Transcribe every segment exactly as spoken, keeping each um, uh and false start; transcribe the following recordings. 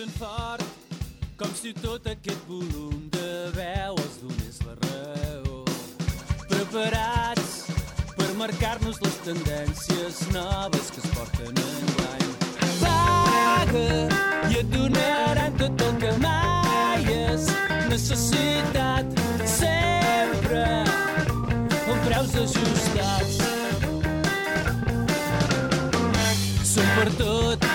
ben fort, com si tot aquest volum de veu els donés la raó. Preparats per marcar-nos les tendències noves que es porten enguany. Paga i et donaran tot el que mai és necessitat, sempre amb preus ajustats. Som per tot.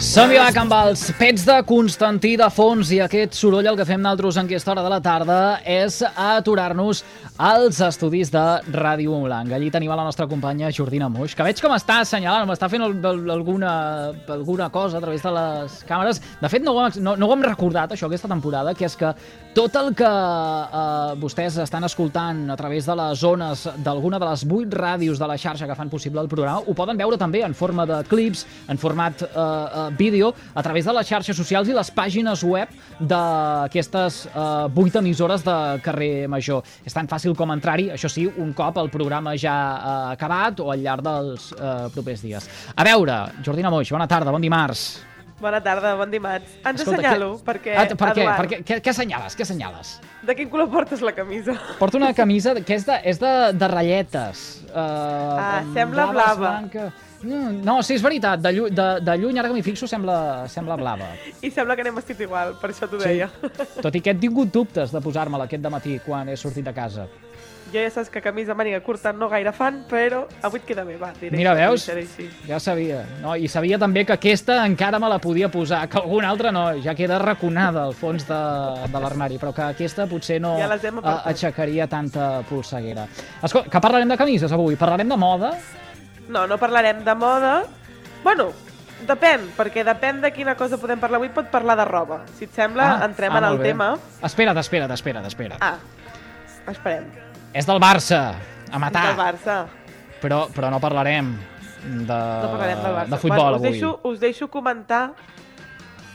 Som-hi va, amb els pets de Constantí de fons, i aquest soroll el que fem nosaltres en aquesta hora de la tarda és aturar-nos als estudis de Ràdio Montblanc. Allí tenim a la nostra companya Jordina Moix, que veig com està assenyalant, m'està fent el, el, alguna, alguna cosa a través de les càmeres. De fet, no ho, hem, no, no ho hem recordat, això, aquesta temporada, que és que tot el que eh, vostès estan escoltant a través de les zones d'alguna de les vuit ràdios de la xarxa que fan possible el programa, ho poden veure també en forma de clips, en format eh, eh, vídeo, a través de les xarxes socials i les pàgines web d'aquestes eh, vuit emissores de Carrer Major. És tan fàcil com entrar-hi, això sí, un cop el programa ja ha eh, acabat o al llarg dels eh, propers dies. A veure, Jordina Moix, bona tarda, bon dimarts. Bona tarda, bon dimarts. Ens Escolta, assenyalo, que... perquè, ah, per què? Eduard... Per què? Què, què assenyales? Què assenyales? De quin color portes la camisa? Porto una camisa que és de, és de, de ratlletes. Uh, ah, sembla blava. Blanca. No, sí, és veritat, de, llu de, de lluny, ara que m'hi fixo, sembla, sembla blava. I sembla que anem vestit igual, per això t'ho sí. deia. Tot i que he tingut dubtes de posar-me-la aquest dematí quan he sortit de casa. Jo ja saps que camisa màniga curta no gaire fan, però avui et queda bé, va. Diré Mira, veus? Així. Ja sabia. No? I sabia també que aquesta encara me la podia posar, que alguna altra no, ja queda raconada al fons de, de l'armari, però que aquesta potser no ja uh, aixecaria tanta polseguera. Escolta, que parlarem de camises avui? Parlarem de moda? No, no parlarem de moda. Bueno, depèn, perquè depèn de quina cosa podem parlar avui, pot parlar de roba. Si et sembla, ah, entrem ah, en el bé. tema. Espera't, espera't, espera't, espera't. Ah, esperem. És del Barça, a matar. És del Barça. Però, però no parlarem de, no parlarem del Barça. de futbol bueno, us avui. Deixo, us deixo comentar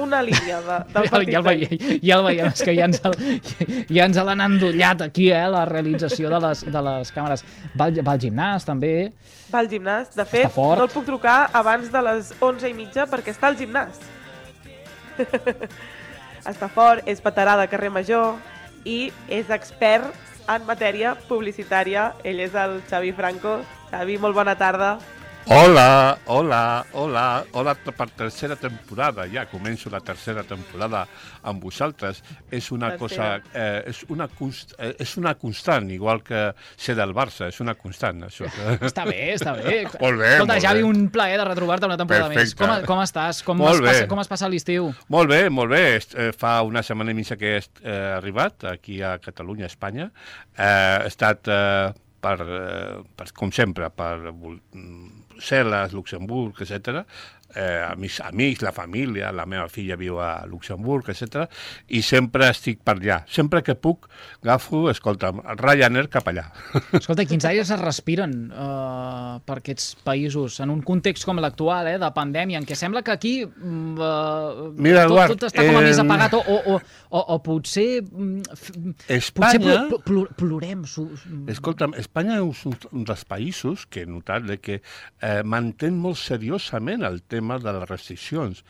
una línia de, del partit. Ja el veiem, ja el veiem, és que ja ens, el, ja ens l'han endollat aquí, eh, la realització de les, de les càmeres. Va, va al gimnàs, també. Va al gimnàs. De fet, no el puc trucar abans de les onze i mitja perquè està al gimnàs. Està fort, és veterà de Carrer Major i és expert en matèria publicitària. Ell és el Xavi Franco. Xavi, molt bona tarda. Hola, hola, hola, hola per tercera temporada, ja començo la tercera temporada amb vosaltres. És una tercera. cosa, eh, és, una const, eh, és una constant, igual que ser del Barça, és una constant, això. Està bé, està bé. Molt bé, Escolta, molt Javi, bé. un plaer de retrobar-te una temporada Perfecte. més. Com, com estàs? Com Molt es bé. passa, com es passa l'estiu? Molt bé, molt bé. Eh, fa una setmana i mitja que he eh, arribat aquí a Catalunya, a Espanya. Eh, he estat, eh, per, eh, per, com sempre, per Brussel·les, Luxemburg, etcètera. Eh, amics, amics, la família, la meva filla viu a Luxemburg, etcètera. I sempre estic per allà. Sempre que puc, agafo, escolta'm, Ryanair cap allà. Escolta, quins aires es respiren uh, per aquests països en un context com l'actual, eh, de pandèmia, en què sembla que aquí uh, Mira, tot, Eduard, tot està com a eh, més apagat o, o, o, o, o potser, Espanya, potser pl pl pl plorem. Escolta'm, Espanya és un dels països que he notat que eh, mantén molt seriosament el tema de les restriccions.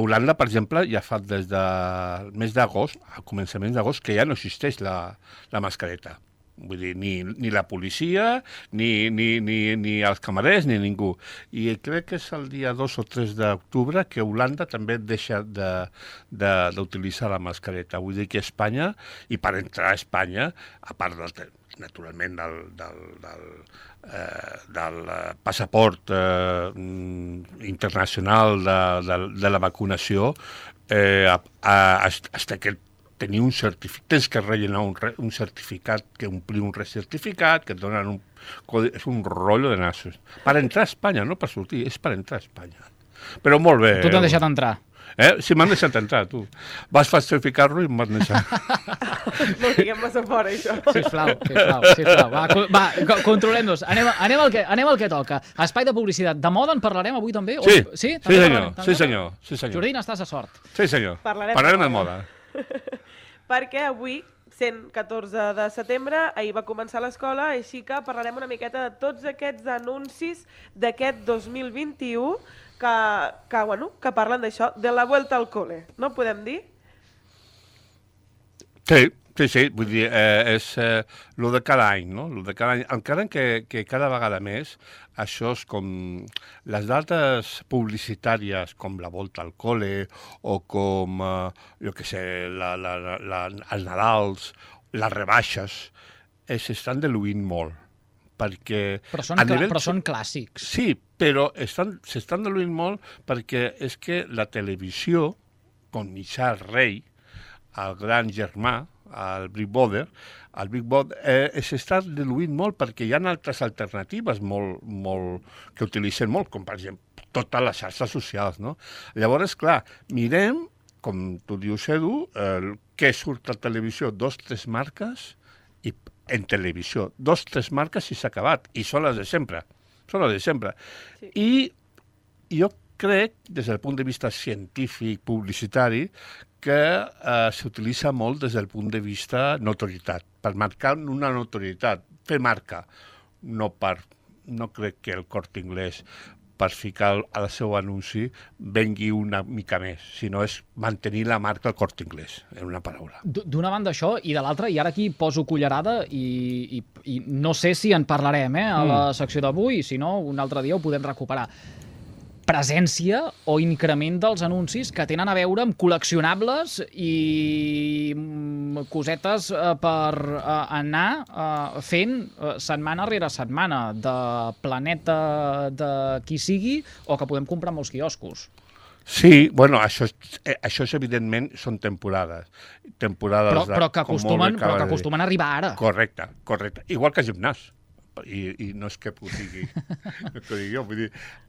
Holanda, per exemple, ja fa des del mes d'agost, a començaments d'agost, que ja no existeix la, la mascareta. Vull dir, ni, ni la policia, ni, ni, ni, ni els camarers, ni ningú. I crec que és el dia dos o tres d'octubre que Holanda també deixa d'utilitzar la mascareta. Vull dir que Espanya, i per entrar a Espanya, a part del, naturalment del, del, del, eh, del passaport eh, internacional de, de, de la vacunació, eh, a, a, hasta que tenir un certificat, tens que rellenar un, un certificat, que omplir un recertificat, que et donen un codi, és un rotllo de nassos. Per entrar a Espanya, no per sortir, és per entrar a Espanya. Però molt bé. Tu t'han deixat entrar. Eh? Sí, m'han deixat entrar, tu. Vas falsificar-lo i m'han deixat. No diguem massa fora, això. Sisplau, sisplau, sisplau. Va, va controlem-nos. Anem, anem, al que, anem al que toca. Espai de publicitat. De moda en parlarem avui també? Sí, o... sí, sí, senyor. Sí, senyor. Sí, senyor. Jordina, estàs a sort. Sí, senyor. Parlarem, parlarem de moda. Perquè avui, sent catorze de setembre, ahir va començar l'escola, així que parlarem una miqueta de tots aquests anuncis d'aquest dos mil vint-i-u que, que, bueno, que parlen d'això, de la vuelta al cole, no podem dir? Sí, sí, sí, vull dir, eh, és eh, lo de cada any, no? Lo de cada any. Encara que, que cada vegada més això és com les dates publicitàries com la volta al cole o com, eh, jo què sé, la, la, la, la, els Nadals, les rebaixes, eh, s'estan diluint molt. Perquè però són, nivell... però són clàssics. Sí, però s'estan diluint molt perquè és que la televisió, com mitjà rei, el gran germà, el Big Brother, el Big Brother eh, s'està diluint molt perquè hi ha altres alternatives molt, molt, que utilitzen molt, com per exemple totes les xarxes socials, no? Llavors, clar, mirem, com tu dius, Edu, eh, què surt a televisió, dos, tres marques, i en televisió, dos, tres marques i s'ha acabat, i són les de sempre, són les de sempre. Sí. I jo crec, des del punt de vista científic, publicitari, que eh, s'utilitza molt des del punt de vista notorietat, per marcar una notorietat, fer marca, no per, no crec que el Corte Inglés per ficar al seu anunci vengui una mica més, sinó és mantenir la marca al Corte Inglés, en una paraula. D'una banda això, i de l'altra, i ara aquí poso cullerada, i, i, i no sé si en parlarem eh, a la secció d'avui, si no, un altre dia ho podem recuperar. Presència o increment dels anuncis que tenen a veure amb col·leccionables i cosetes per anar fent setmana rere setmana de Planeta, de qui sigui, o que podem comprar molts quioscos. Sí, bueno, això, això és evidentment són temporades. temporades però, però, que acostumen, però que acostumen a arribar ara. Correcte, correcte. Igual que el gimnàs. I, i no és que ho digui, no que ho digui jo, vull dir,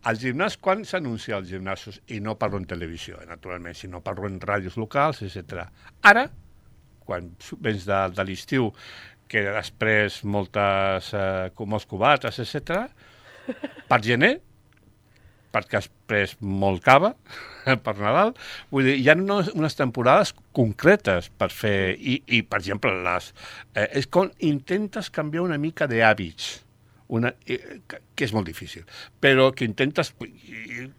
al gimnàs, quan s'anuncia als gimnasos, i no parlo en televisió, eh, naturalment, sinó parlo en ràdios locals, etcètera. Ara, quan vens de, de l'estiu, que després moltes, eh, molts cubates, etcètera, per gener, perquè has pres molt cava per Nadal, vull dir, hi ha unes, unes temporades concretes per fer, i, i per exemple, les, eh, és com intentes canviar una mica d'hàbits, una, eh, que és molt difícil, però que intentes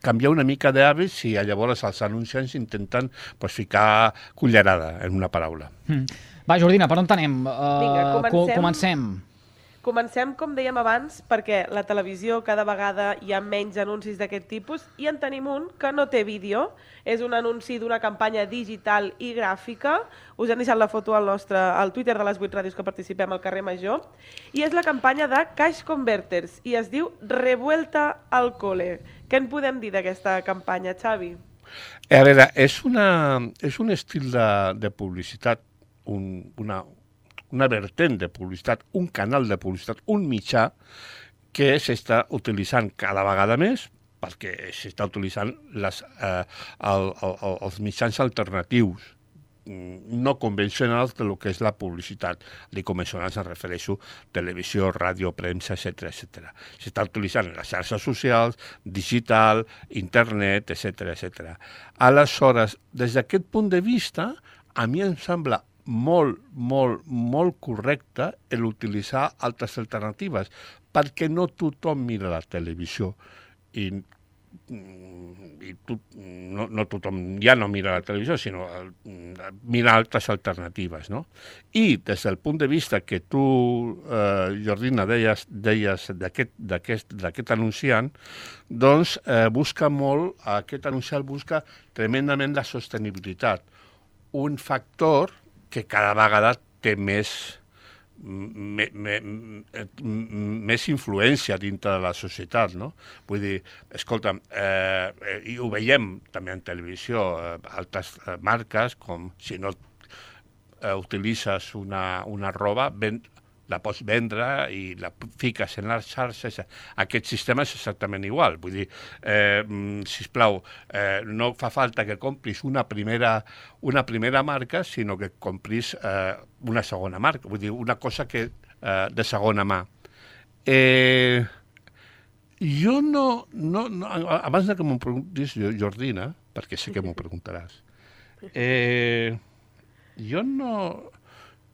canviar una mica d'hàbits i llavors els anunciants intenten pues, ficar cullerada, en una paraula. Mm. Va, Jordina, per on anem? Uh, Vinga, comencem. comencem. Comencem, com dèiem abans, perquè la televisió cada vegada hi ha menys anuncis d'aquest tipus i en tenim un que no té vídeo. És un anunci d'una campanya digital i gràfica. Us hem deixat la foto al nostre al Twitter de les vuit ràdios que participem al carrer Major. I és la campanya de Cash Converters i es diu Revuelta al cole. Què en podem dir d'aquesta campanya, Xavi? A veure, és, una, és un estil de, de publicitat, un, una... una vertent de publicitat, un canal de publicitat, un mitjà que s'està utilitzant cada vegada més perquè s'està utilitzant les, eh, el, el, els mitjans alternatius no convencionals de lo que és la publicitat. Dic convencionals, em refereixo a televisió, ràdio, premsa, etcètera, etcètera. S'està utilitzant en les xarxes socials, digital, internet, etcètera, etcètera. Aleshores, des d'aquest punt de vista, a mi em sembla molt, molt, molt correcte l'utilitzar altres alternatives, perquè no tothom mira la televisió i, i tu, no, no tothom ja no mira la televisió, sinó mira altres alternatives, no? I des del punt de vista que tu, eh, Jordina, deies, deies d'aquest anunciant, doncs eh, busca molt, aquest anunciant busca tremendament la sostenibilitat, un factor que cada vegada té més, me, me, més influència dintre de la societat, no? Vull dir, escolta, eh, i ho veiem també en televisió, eh, altres marques, com si no eh, utilitzes una, una roba, ben, la pots vendre i la fiques en les xarxes. Aquest sistema és exactament igual. Vull dir, eh, sisplau, eh, no fa falta que compris una primera, una primera marca, sinó que compris eh, una segona marca. Vull dir, una cosa que, eh, de segona mà. Eh, jo no, no, no... Abans de que m'ho preguntis, Jordina, perquè sé que m'ho preguntaràs, eh, jo no,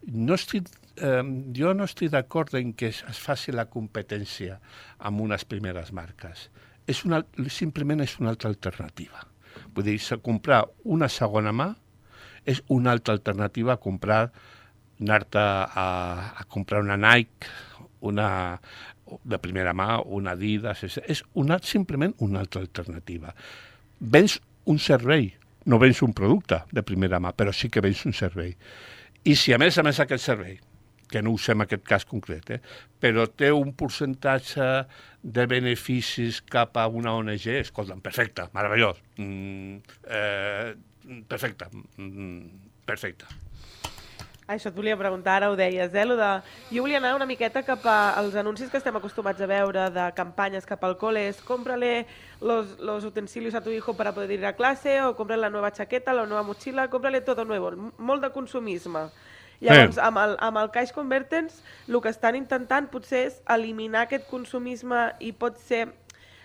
no estic Eh, jo no estic d'acord en que es faci la competència amb unes primeres marques. és una, simplement és una altra alternativa. Vull dir, comprar una segona mà és una altra alternativa a comprar, anar-te a, a comprar una Nike, una de primera mà, una Adidas, és, és una, simplement una altra alternativa. Vens un servei, no vens un producte de primera mà, però sí que vens un servei. I si a més a més aquest servei, que no ho sé en aquest cas concret, eh, però té un percentatge de beneficis cap a una O N G, escolta'm, perfecte, meravellós, mm, eh, perfecte, mm, perfecte. Això et volia preguntar, ara ho deies, eh? Lo de... Jo volia anar una miqueta cap als anuncis que estem acostumats a veure de campanyes cap al cole, és cómprale los, los utensilios a tu hijo para poder ir a clase, o cómprale la nueva chaqueta, la nueva mochila, cómprale todo nuevo, molt de consumisme. Llavors, amb el, amb el Cash Convertents, el que estan intentant potser és eliminar aquest consumisme i pot ser,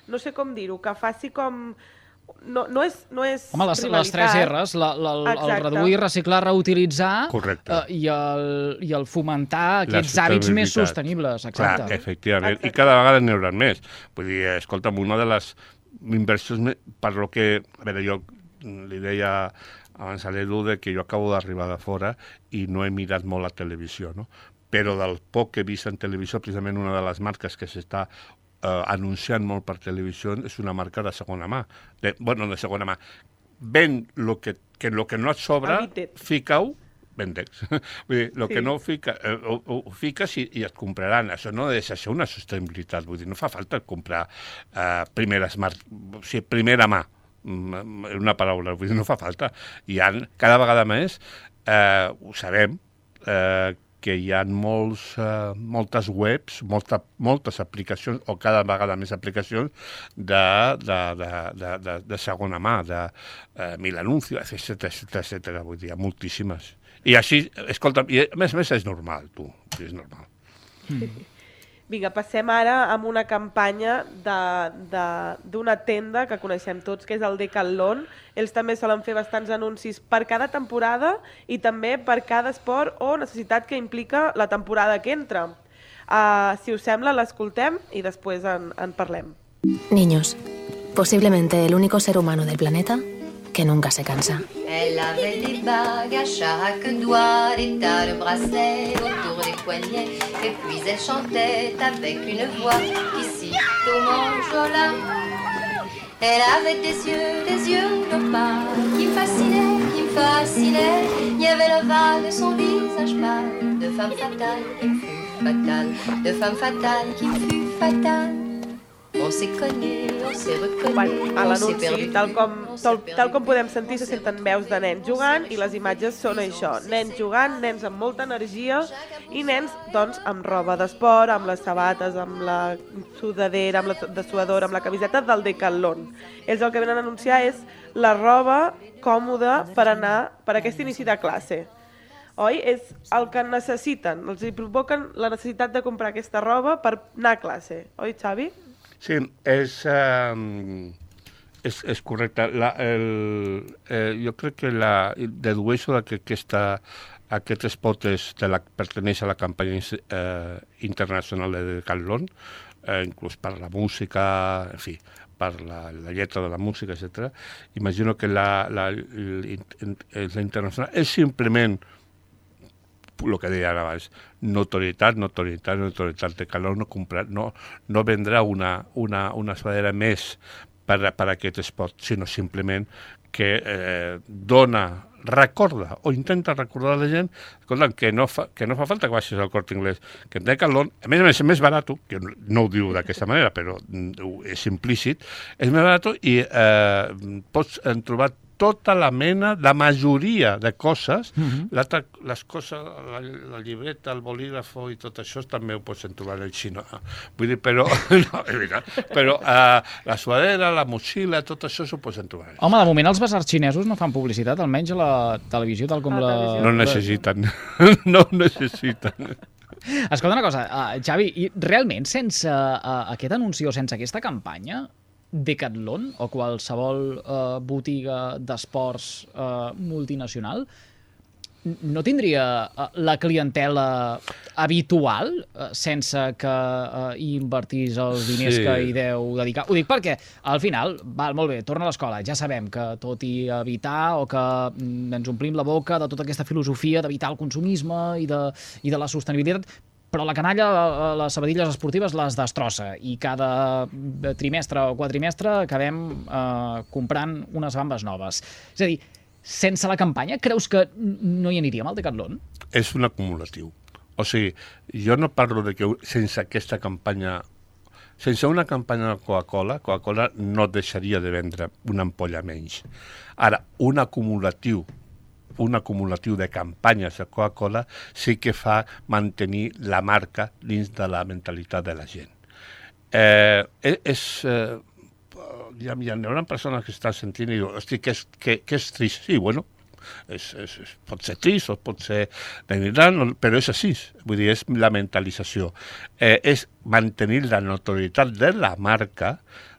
no sé com dir-ho, que faci com... No, no és, no és Home, les, les tres R's, la, la, el, el reduir, reciclar, reutilitzar eh, i, el, i el fomentar aquests hàbits més sostenibles. Exacte. Clar, efectivament, exacte. I cada vegada n'hi haurà més. Vull dir, escolta'm, una de les inversions, per lo que, a veure, jo li deia abans a l'Edu que jo acabo d'arribar de fora i no he mirat molt la televisió, no? Però del poc que he vist en televisió, precisament una de les marques que s'està Uh, anunciant molt per televisió és una marca de segona mà. De, bueno, de segona mà. Ven lo que, que lo que no et sobra, fica-ho, vendex. Vull dir, el sí. que no fica, eh, ho, ho fiques i, i et compraran. Això no deixa ser una sostenibilitat. Vull dir, no fa falta comprar uh, primeres mar... o sigui, primera mà. Una paraula. Vull dir, no fa falta. Hi ha cada vegada més, eh, ho sabem, eh, que hi ha molts, uh, moltes webs, molta, moltes aplicacions, o cada vegada més aplicacions de, de, de, de, de, de segona mà, de uh, mil anuncis, etcètera, etcètera, etcètera. Vull dir, moltíssimes. I així, escolta, i a més a més és normal, tu, és normal. Mm. Vinga, passem ara amb una campanya d'una tenda que coneixem tots, que és el Decathlon. Ells també solen fer bastants anuncis per cada temporada i també per cada esport o necessitat que implica la temporada que entra. Uh, si us sembla, l'escoltem i després en, en parlem. Niños, posiblemente el único ser humano del planeta que nunca se cansa. Elle avait des bagues à chaque doigt, des tas de bracelets autour des poignets, et puis elle chantait avec une voix ici au manjola. Elle avait des yeux, des yeux d'opale qui me fascinaient, qui me fascinaient. Il y avait l'ovale de son visage pâle, de femme fatale qui me fut fatale, de femme fatale qui me fut fatale. On s'est connu, on s'est reconnu, bueno, a l'anunci, tal, com, tal, tal com podem sentir, se senten veus de nens jugant i les imatges són això, nens jugant, nens amb molta energia i nens doncs amb roba d'esport, amb les sabates, amb la sudadera, amb la de suadora, amb la camiseta del Decathlon. Ells el que venen a anunciar és la roba còmoda per anar per aquest inici de classe. Oi? És el que necessiten, els hi provoquen la necessitat de comprar aquesta roba per anar a classe. Oi, Xavi? Sí, és, eh, és, és correcte. La, el, eh, jo crec que la, dedueixo que aquesta, aquest spot és de la, perteneix a la campanya eh, internacional de Decathlon, eh, inclús per la música, en fi, per la, la lletra de la música, etcètera. Imagino que la, la, la, la internacional és simplement el que deia abans, notorietat, notorietat, notorietat de calor, no, comprar, no, no vendrà una, una, una sudadera més per, per aquest esport, sinó simplement que eh, dona, recorda o intenta recordar a la gent escolta, que, no fa, que no fa falta que baixis al Corte Inglés, que en Decathlon, a més a més és més barat, que no ho diu d'aquesta manera, però és implícit, és més barat i eh, pots trobar tota la mena, la majoria de coses, mm-hmm. les coses, la, la llibreta, el bolígrafo i tot això també ho pots trobar en el xino. Vull dir, però, no, és veritat, però uh, la suadera, la motxilla, tot això s'ho pots trobar. Home, de moment els basars xinesos no fan publicitat, almenys a la televisió, tal com la... la... No necessiten, no necessiten. Escolta una cosa, uh, Xavi, i realment sense uh, aquest anunci o sense aquesta campanya, Decathlon o qualsevol uh, botiga d'esports uh, multinacional no tindria la clientela habitual sense que invertís els diners sí. que hi deu dedicar? Ho dic perquè, al final, val, molt bé, torna a l'escola, ja sabem que tot i evitar o que ens omplim la boca de tota aquesta filosofia d'evitar el consumisme i de, i de la sostenibilitat, però la canalla, les sabatilles esportives les destrossa i cada trimestre o quadrimestre acabem eh, comprant unes bambes noves. És a dir, sense la campanya, creus que no hi aniríem al Decathlon? És un acumulatiu. O sigui, jo no parlo de que sense aquesta campanya, sense una campanya de Coca-Cola, Coca-Cola no deixaria de vendre una ampolla menys. Ara, un acumulatiu un acumulatiu de campanyes de Coca-Cola sí que fa mantenir la marca dins de la mentalitat de la gent. Eh, és... Eh, ja, ja hi haurà persones que estan sentint i diuen, hosti, que és, que, que és trist. Sí, bueno, és, és, és, pot ser trist o pot ser denigrant, però és així. Vull dir, és la mentalització. Eh, és mantenir la notorietat de la marca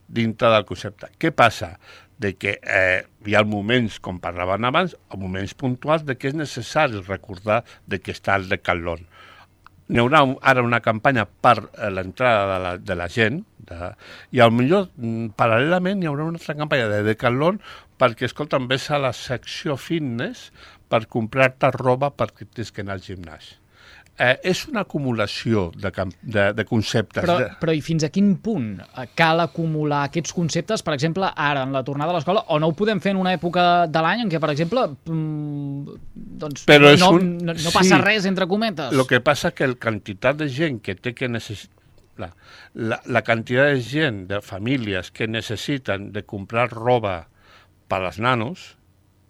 dintre del concepte. Què passa? De que eh, hi ha moments, com parlaven abans, moments puntuals de que és necessari recordar de que està el Decathlon. N'hi haurà ara una campanya per l'entrada de, la, de la gent de, i potser paral·lelament hi haurà una altra campanya de Decathlon perquè, escolta, ves a la secció fitness per comprar-te roba perquè tens que anar al gimnàs. Eh, és una acumulació de, de, de conceptes. Però, però i fins a quin punt cal acumular aquests conceptes, per exemple, ara, en la tornada a l'escola, o no ho podem fer en una època de l'any en què, per exemple, mmm, doncs no, un... no, no passa sí, res, entre cometes? El que passa és que la quantitat de gent que té que necessitar, la, la, la quantitat de gent, de famílies que necessiten de comprar roba per als nanos,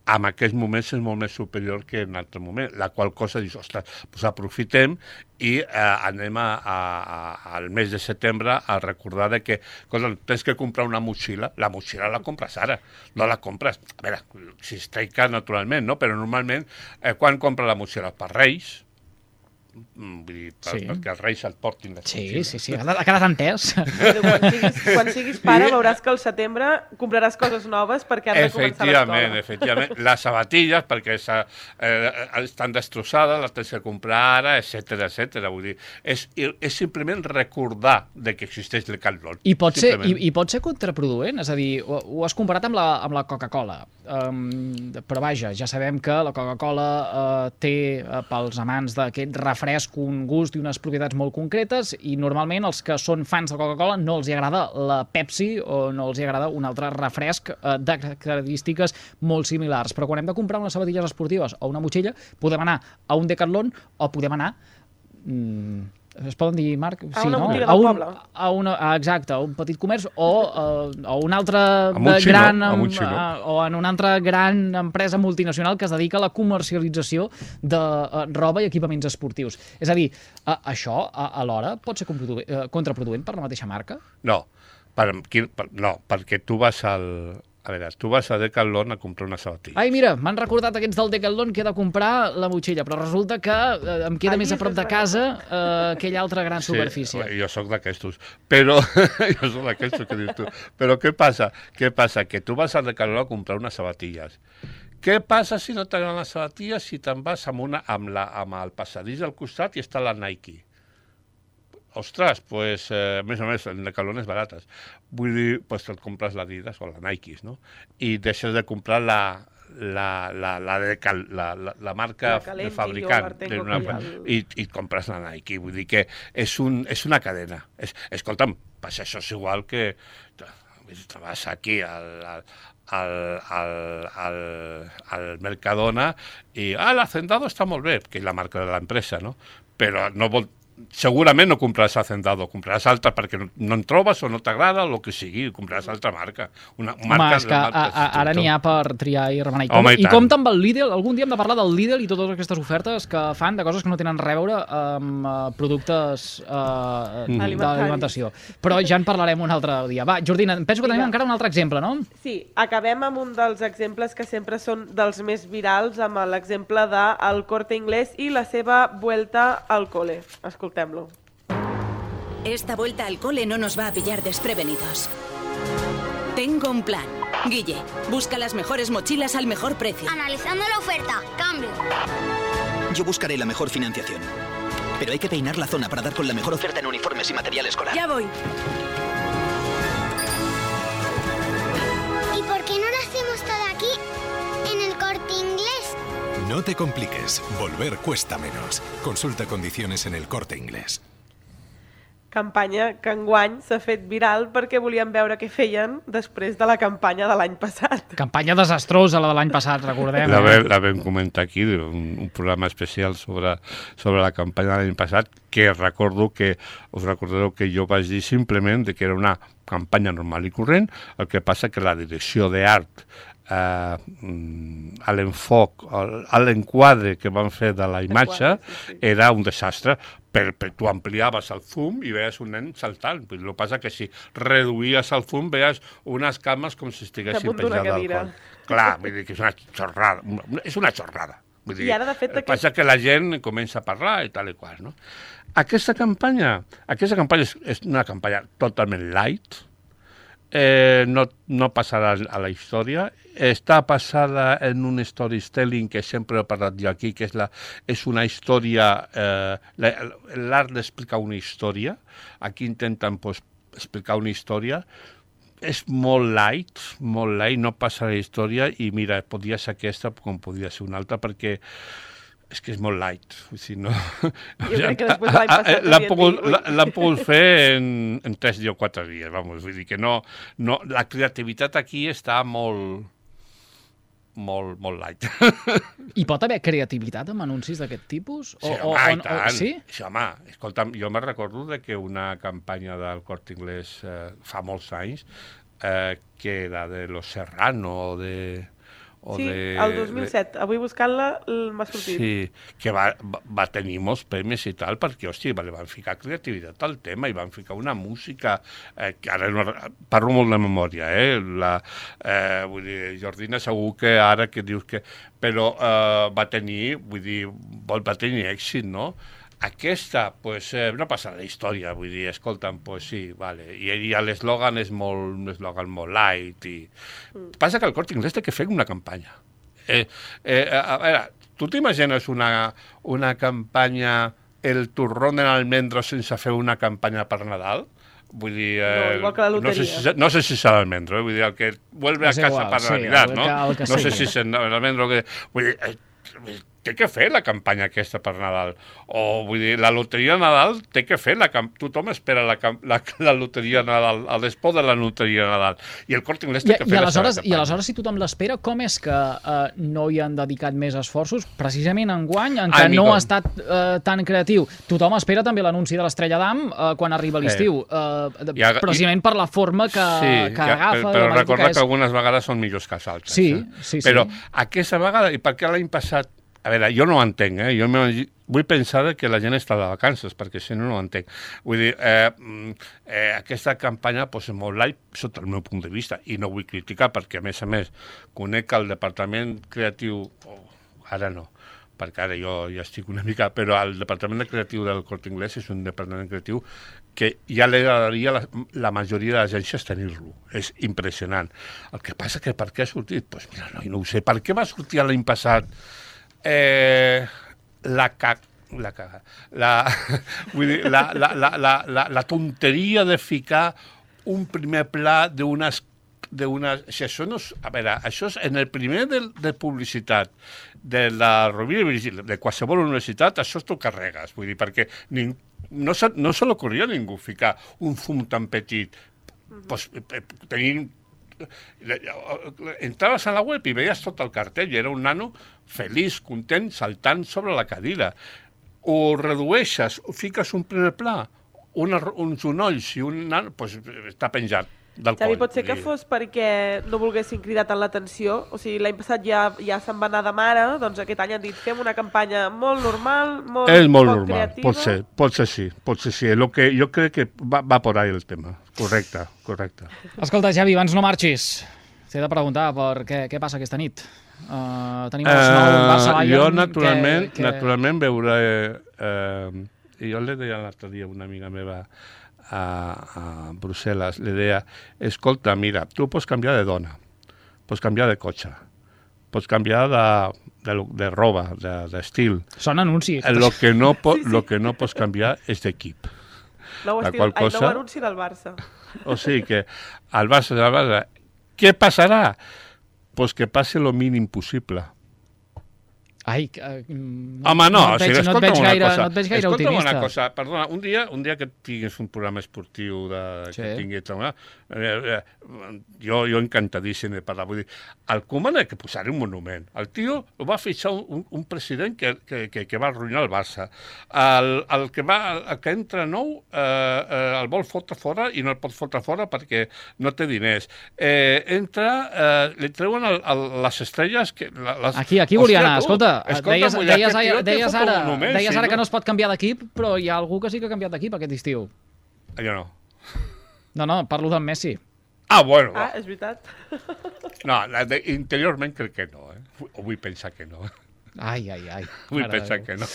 en aquests moments és molt més superior que en altre moment, la qual cosa dius, ostres, doncs aprofitem i eh, anem a, a, a, al mes de setembre a recordar de que, cosa, tens que comprar una motxilla, la motxilla la compres ara, no la compres, a veure, si es traica naturalment, no? Però normalment, eh, quan compra la motxilla? Per Reis, vull dir, per, sí. perquè els Reis et portin les sí, motxilles. Sí, sí, sí, ha quedat entès. Quan siguis, quan siguis pare veuràs que al setembre compraràs coses noves perquè has de començar l'escola. Efectivament, efectivament. Les sabatilles, perquè eh, estan destrossades, les tens que comprar ara, etcètera, etcètera. Vull dir, és, és simplement recordar de que existeix el Decathlon. I pot ser, i, i pot ser contraproduent, és a dir, ho, ho has comparat amb la, amb la Coca-Cola, um, però vaja, ja sabem que la Coca-Cola uh, té, uh, pels amants d'aquest refresc, un gust i unes propietats molt concretes i normalment els que són fans de Coca-Cola no els hi agrada la Pepsi o no els hi agrada un altre refresc eh, de característiques molt similars. Però quan hem de comprar unes sabatilles esportives o una motxilla, podem anar a un Decathlon o podem anar... Mm, es poden dir, Marc? A sí, una no? botiga a del un, poble. A una, exacte, a un petit comerç o a, a un altre un gran... xino, Amb, un xino. a, o en una altra gran empresa multinacional que es dedica a la comercialització de uh, roba i equipaments esportius. És a dir, uh, això uh, alhora pot ser uh, contraproduent per la mateixa marca? No, per, per, no, perquè tu vas al... A veure, tu vas a Decathlon a comprar una sabatilla. Ai, mira, m'han recordat aquests del Decathlon que he de comprar la motxilla, però resulta que eh, em queda Ai, més a prop de casa eh, aquella altra gran superfície. Sí, jo sóc d'aquestos, però jo sóc d'aquestos que dius tu. Però què passa? Què passa? Que tu vas al Decathlon a comprar unes sabatilles. Què passa si no t'agraden les sabatilles si te'n vas amb, una, amb, la, amb el passadís al costat i està la Nike? Ostres, pues, eh, més o més, en Decathlon barates. Vull dir, pues te'n compres l'Adidas o la Nike, no? I deixes de comprar la, la, la, la, de cal, la, la, la marca la Calenti, de fabricant Artengo, una, i, i compres la Nike. Vull dir que és, un, és una cadena. És, escolta'm, pues això és igual que... Te vas aquí al... al Al, al, al, al Mercadona i ah, l'Hacendado està molt bé, que és la marca de l'empresa, no? Però no vol... segurament no compraràs Hacendado, compraràs altra perquè no, no en trobes o no t'agrada o el que sigui, compraràs altra marca. Una marca. Home, és que a, a, ara n'hi ha per triar i remenar. I, com, Home, i, i compta amb el Lidl, algun dia hem de parlar del Lidl i totes aquestes ofertes que fan de coses que no tenen res a veure amb uh, productes uh, mm. d'alimentació. Però ja en parlarem un altre dia. Va, Jordina, penso que tenim encara un altre exemple, no? Sí, acabem amb un dels exemples que sempre són dels més virals, amb l'exemple del Corte Inglés i la seva vuelta al cole. Escoltem-lo. Esta vuelta al cole no nos va a pillar desprevenidos. Tengo un plan. Guille, busca las mejores mochilas al mejor precio. Analizando la oferta. Cambio. Yo buscaré la mejor financiación. Pero hay que peinar la zona para dar con la mejor oferta en uniformes y material escolar. Ya voy. ¿Y por qué no lo hacemos todo aquí, en el Corte Inglés? No te compliques. Volver cuesta menos. Consulta condiciones en el Corte Inglés. Campanya que enguany s'ha fet viral perquè volien veure què feien després de la campanya de l'any passat. Campanya desastrosa, la de l'any passat, recordem. La, eh? vam, la vam comentar aquí, un, un programa especial sobre, sobre la campanya de l'any passat, que recordo que, us recordareu que jo vaig dir simplement de que era una campanya normal i corrent, el que passa que la direcció d'art, Uh, a l'enfoc, a l'enquadre que van fer de la imatge sí, sí. era un desastre, per, per tu ampliaves el zoom i veies un nen saltant. El que passa que si reduïes el zoom veies unes cames com si estiguessin penjades al coll. Clar, vull dir que és una xorrada, és una xorrada. Vull dir, I ara, de fet, aquest... passa que la gent comença a parlar i tal i qual, no? Aquesta campanya, aquesta campanya és, és una campanya totalment light, Eh, no, no passarà a la història, està passada en un storytelling que sempre he parlat jo aquí, que és, la, és una història, eh, l'art d'explicar una història, aquí intenten pues, explicar una història, és molt light, molt light, no passa la història i mira, podia ser aquesta com podia ser una altra, perquè és que és molt light. O sigui, no... Jo crec que després de l'any passat... L'han pogut, pogut fer en, en tres o quatre dies, vamos. Vull dir que no, no... La creativitat aquí està molt... molt, molt light. Hi pot haver creativitat amb anuncis d'aquest tipus? O, sí, o, home, o, i tant. O, sí? Sí, home, escolta'm, jo me recordo de que una campanya del Corte Inglés eh, fa molts anys, eh, que era de Los Serrano o de... O sí, de, el dos mil set. De... Avui buscant-la m'ha sortit. Sí, que va, va tenir molts premis i tal, perquè, hòstia, li van ficar creativitat al tema i van ficar una música, eh, que ara no, parlo molt de memòria, eh? La, eh, vull dir, Jordina, segur que ara que dius que... Però eh, va tenir, vull dir, va tenir èxit, no? Aquesta, pues, eh, no passa la història, vull dir, escolta'm, pues sí, vale. I, i l'eslògan és molt, un eslògan molt light. I... Mm. Passa que el Corte Inglés té que fer una campanya. Eh, eh, a veure, tu t'imagines una, una campanya, el turrón en almendro sense fer una campanya per Nadal? Vull dir, eh, no, igual que la loteria. No sé si, no sé si serà l'almendro, eh? Vull dir, el que vuelve a casa igual, per sí, Navidad, no? Que, no sí. sé si és l'almendro que... Vull dir, eh, té que fer la campanya aquesta per Nadal. O, vull dir, la loteria de Nadal té que fer, la camp... tothom espera la, la, la loteria de Nadal, el despò de la loteria de Nadal. I el Corte Inglés té I, que fer i la seva campanya. I aleshores, si tothom l'espera, com és que eh, no hi han dedicat més esforços? Precisament enguany, en què Ai, no ha estat eh, tan creatiu. Tothom espera també l'anunci de l'Estrella d'Am eh, quan arriba l'estiu. Eh, I, precisament i... per la forma que, sí, que ja, agafa. Però recorda que, és... que algunes vegades són millors que els altres. Sí, eh? sí, sí. Però aquesta vegada, i per què l'any passat... A veure, jo no ho entenc, eh? Jo vull pensar que la gent està de vacances, perquè si no, no ho entenc. Vull dir, eh, eh, aquesta campanya pues, és molt light sota el meu punt de vista, i no vull criticar, perquè, a més a més, conec el departament creatiu... Oh, ara no, perquè ara jo ja estic una mica... Però el departament creatiu del Corte Inglés és un departament creatiu que ja li agradaria la, la majoria d'agències tenir-lo. És impressionant. El que passa que per què ha sortit? Doncs pues mira, no, no ho sé. Per què va sortir l'any passat Eh, la, ca la, caga, la, vull dir, la, la, la, la, la, la tonteria de ficar un primer pla d'unes... Si això no és, a veure, això és en el primer de, de publicitat de la Rovira i Virgili, de qualsevol universitat, això t'ho carregues, vull dir, perquè ning, no, se, no se l'ocorria a ningú ficar un fum tan petit, mm-hmm. pues, tenint entraves a la web i veies tot el cartell i era un nano feliç, content, saltant sobre la cadira. Ho redueixes, ho fiques un primer pla, una, uns unolls i un nano, doncs està penjat del Xavi, coll. pot ser que fos perquè no volguessin cridar tant l'atenció, o sigui, l'any passat ja, ja se'n va anar de mare, doncs aquest any han dit fem una campanya molt normal, molt, és molt poc normal, creativa. pot ser, pot ser sí, pot ser sí. Lo que jo crec que va, va por ahí el tema. Correcte, correcte. Escolta, Xavi, abans no marxis. T'he de preguntar per què, què passa aquesta nit. Uh, tenim els nou uh, Barça-Bayern. Jo, naturalment, que, que... naturalment veuré... Eh, jo li deia l'altre dia una amiga meva a, a Brussel·les, li deia, escolta, mira, tu pots canviar de dona, pots canviar de cotxe, pots canviar de, de, de roba, d'estil. De, Són anuncis. El que, no po, sí, sí. Lo que no pots canviar és d'equip. Nou, estil, cosa... ai, nou anunci del Barça. O sigui que al Barça, al Barça, què passarà? Pues que passi lo mínim possible. Ai, uh, no, home, no, no o sigui, no et veig una gaire, cosa. No et veig gaire escolta'm optimista. Una cosa, perdona, un dia, un dia que tinguis un programa esportiu de, sí. que tinguis... Eh, eh, jo, jo encantadíssim de parlar. Vull dir, al Koeman ha que posar un monument. El tio ho va fitxar un, un president que, que, que, que va arruïnar el Barça. El, el, que va, el que entra nou eh, eh, el vol fotre fora i no el pot fotre fora perquè no té diners. Eh, entra, eh, li treuen el, el, les estrelles... Que, les... Aquí, aquí volia anar, escolta. Escolta, deies, deies, deies, deies ara, monument, deies sí, ara no? que no es pot canviar d'equip, però hi ha algú que sí que ha canviat d'equip aquest estiu. Jo no. No, no, parlo d'en Messi. Ah, bueno. Ah, és veritat. No, de, interiorment crec que no, eh? O vull pensar que no. Ai, ai, ai. Vull pensar que no.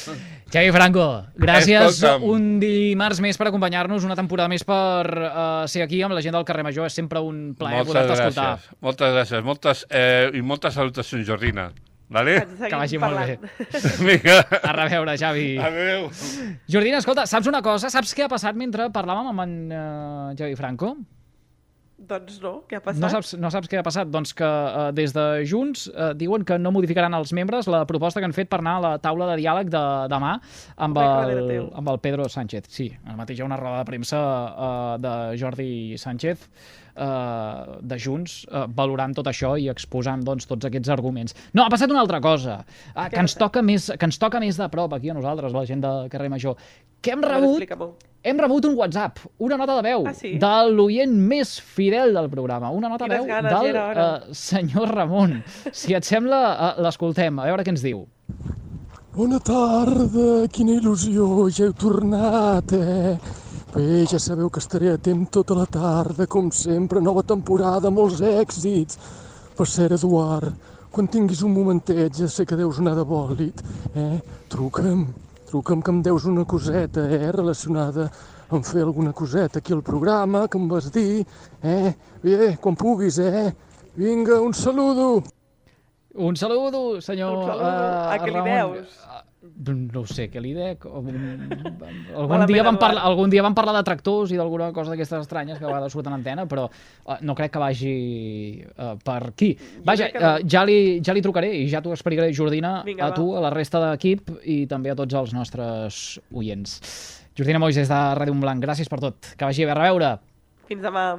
Xavi Franco, gràcies Escolta'm. un dimarts més per acompanyar-nos, una temporada més per uh, ser aquí amb la gent del carrer Major. És sempre un plaer poder-te escoltar. Moltes gràcies. Moltes, eh, i moltes salutacions, Jordina. Vale? Que vagi molt bé. Vinga. A reveure, Xavi. Adéu. Jordina, escolta, saps una cosa? Saps què ha passat mentre parlàvem amb en uh, Xavi Franco? Doncs no, què ha passat? No saps, no saps què ha passat? Doncs que uh, des de Junts uh, diuen que no modificaran els membres la proposta que han fet per anar a la taula de diàleg de demà amb el, amb el Pedro Sánchez. Sí, ara mateix hi ha una roda de premsa uh, de Jordi Sánchez Uh, de Junts, uh, valorant tot això i exposant doncs, tots aquests arguments. No, ha passat una altra cosa, uh, que, ens toca més, que ens toca més de prop aquí a nosaltres, la gent del carrer Major, que hem rebut, hem rebut un WhatsApp, una nota de veu, ah, sí? de l'oient més fidel del programa, una nota de veu ganes, del uh, senyor Ramon. Si et sembla, uh, l'escoltem, a veure què ens diu. Bona tarda, quina il·lusió, ja heu tornat, eh? Bé, ja sabeu que estaré atent tota la tarda, com sempre, nova temporada, molts èxits. Per cert, Eduard, quan tinguis un momentet, ja sé que deus anar de bòlit, eh? Truca'm, truca'm que em deus una coseta, eh? Relacionada amb fer alguna coseta aquí al programa, que em vas dir, eh? Bé, quan puguis, eh? Vinga, un saludo! Un saludo, senyor un saludo. Uh, a què li deus? No ho sé, què li dec? Algun dia, vam parlar, algun dia vam parlar de tractors i d'alguna cosa d'aquestes estranyes que a vegades surten en antena, però uh, no crec que vagi uh, per aquí. Vaja, uh, ja, li, ja li trucaré i ja t'ho explicaré, Jordina, Vinga, a tu, va. a la resta d'equip i també a tots els nostres oients. Jordina Mois, des de Ràdio Montblanc, gràcies per tot. Que vagi bé, a reveure. Fins demà.